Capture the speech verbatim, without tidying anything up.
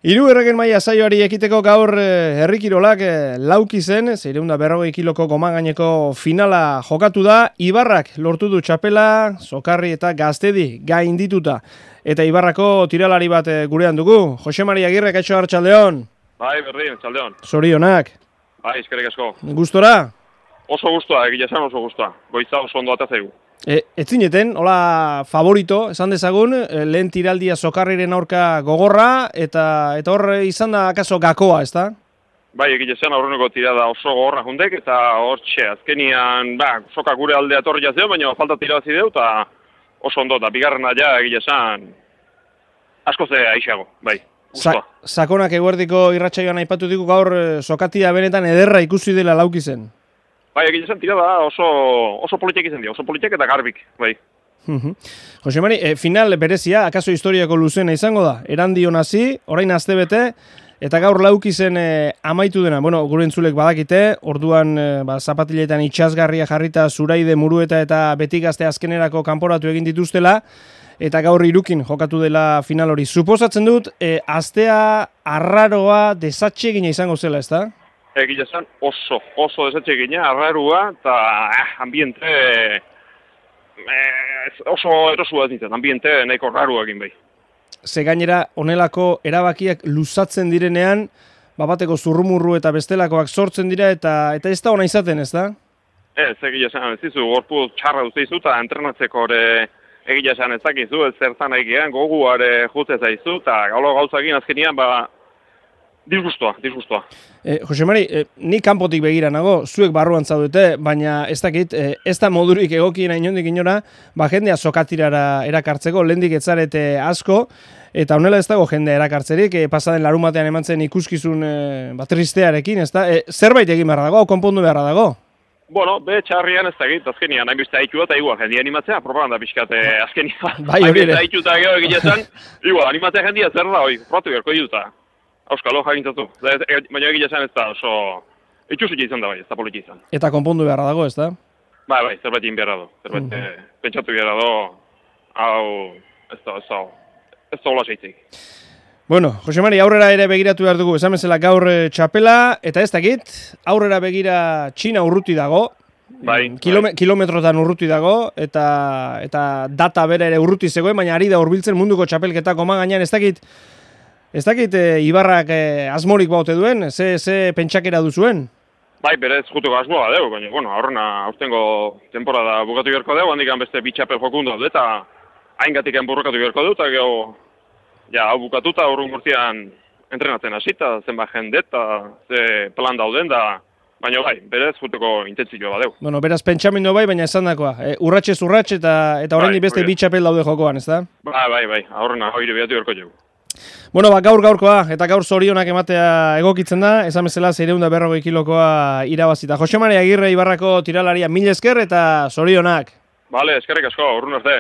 Hirugarren maila saioari ekiteko gaur herri kirolak lauki zen, seiehun eta berrogei kiloko gomangaineko finala jokatu da. Ibarrak lortu du txapela, Sokarri eta Gaztedi gaindituta. Eta Ibarrako tiralari bat gurean dugu. Jose Mari Agirre, kaixo arratsaldeon. Bai, berdin, arratsaldeon. Zorionak. Bai, eskerrik asko. Gustora? Oso gustoa, egia esan oso gustoa. Goiza oso ondo ata zaigu. E, ez zineten, hola favorito, esan dezagun, lehen tiraldia Sokarriren aurka gogorra, eta eta hor izan da akaso gakoa, ezta? Bai, egia esan aurreneko tirada oso gogorra jundek, eta hor txe, azkenian, ba, soka gure aldea torri jazio, baina falta tirabazi deu, eta oso ondo, eta bigarrena ja, egia esan, asko ze aixago, bai. Sa sakonak eguerdiko irratsaioan aipatu diku gaur sokatia benetan ederra ikusi dela lauki zen. Bai, egia esan tirada oso, oso politek izan dira, oso politek eta garbik, bai. Jose Mari, e, final berezia, akaso historiako luzena izango da, erandion hasi, orain astebete, eta gaur lauki zen e, amaitu dena. Bueno, gure entzulek badakite, orduan e, ba, zapatiletan itxasgarria jarrita Zuraide, Murueta eta Betigazte azkenerako kanporatu egin dituztela, eta gaur irukin jokatu dela final hori. Suposatzen dut, e, astea arraroa desatxegina izango zela, ezta? Egia esan oso, oso desatxegina, arrarua, eta eh, ambiente eh, oso erosua ez nintzen, ambiente nahiko rarua egin behi. Ze gainera, honelako erabakiak luzatzen direnean, babateko zurrumurru eta bestelakoak sortzen dira, eta eta ez da ona izaten, ez da? Ez, egia esan, ez dizu, gorpu txarra duzeizu, eta entrenatzeko ere egia esan ez dakizu, ez zertan egian, goguare jutze zaizu, eta gaulo gauzagin azkenian, ba, disgustoa, disgustoa. Eh, Jose Mari, eh, ni kanpotik begira nago, zuek barruan zaudete, baina ez dakit, eh, ez da modurik egokiena inondik inora, ba jendea sokatirara erakartzeko, lehendik etzarete asko, eta honela ez dago jendea erakartzerik, eh, pasaden larumatean eman zen ikuskizun eh, ba, tristearekin, ez da? Eh, zerbait egin beharra dago, konpondu beharra dago? Bueno, be txarrian ez dakit, azkenian, hain beste haitu eta igual, jendia animatzea, propaganda pixkate azkenian. Bai, hori ere. Haitu eta gero egiletan, igual, animatzea jendia zer da, hoi, probatu beharko diduta. Auskalo jagintzatu, baina egia esan ez da oso itxusik izan da bai, ez da politik izan. Eta konpondu beharra dago, ez da? Bai, bai, zerbait egin beharra do, zerbait mm -hmm. pentsatu beharra do, hau, ez da, ez da, ez da hola seitzik. Bueno, Jose Mari, aurrera ere begiratu behar dugu, esan bezala gaur txapela, eta ez dakit, aurrera begira Txina urruti dago, bai, Kilome, bai. kilometrotan urruti dago, eta eta data bera ere urruti zegoen, baina ari da hurbiltzen munduko txapelketako magainan, ez dakit, Ez dakit, e, Ibarrak e, asmorik baute duen, ze, ze pentsakera duzuen? Bai, berez juteko asmoa deu, baina, bueno, aurrena aurtengo temporada bukatu beharko deu, handikan beste bitxapel jokun dut, eta haingatik enburrokatu beharko dut, eta geho, ja, hau bukatuta, aurrun gurtian entrenatzen hasita, zenba jende, eta ze plan dauden, da, baina bai, berez juteko intentzioa badeu. Bueno, beraz pentsamendu bai, baina esan dakoa, e, urratxez urratx, eta, eta oraindik bai, beste bitxapel daude jokoan, ez da? Bai, bai, bai, aurrena hori beatu beharko dugu. Bueno, ba, gaur gaurkoa, eta gaur zorionak ematea egokitzen da, esan bezala seiehun eta berrogei kilokoa irabazita. Jose Mari Agirre Ibarrako tiralaria mil esker eta zorionak. Bale, eskerrik asko, urrun arte.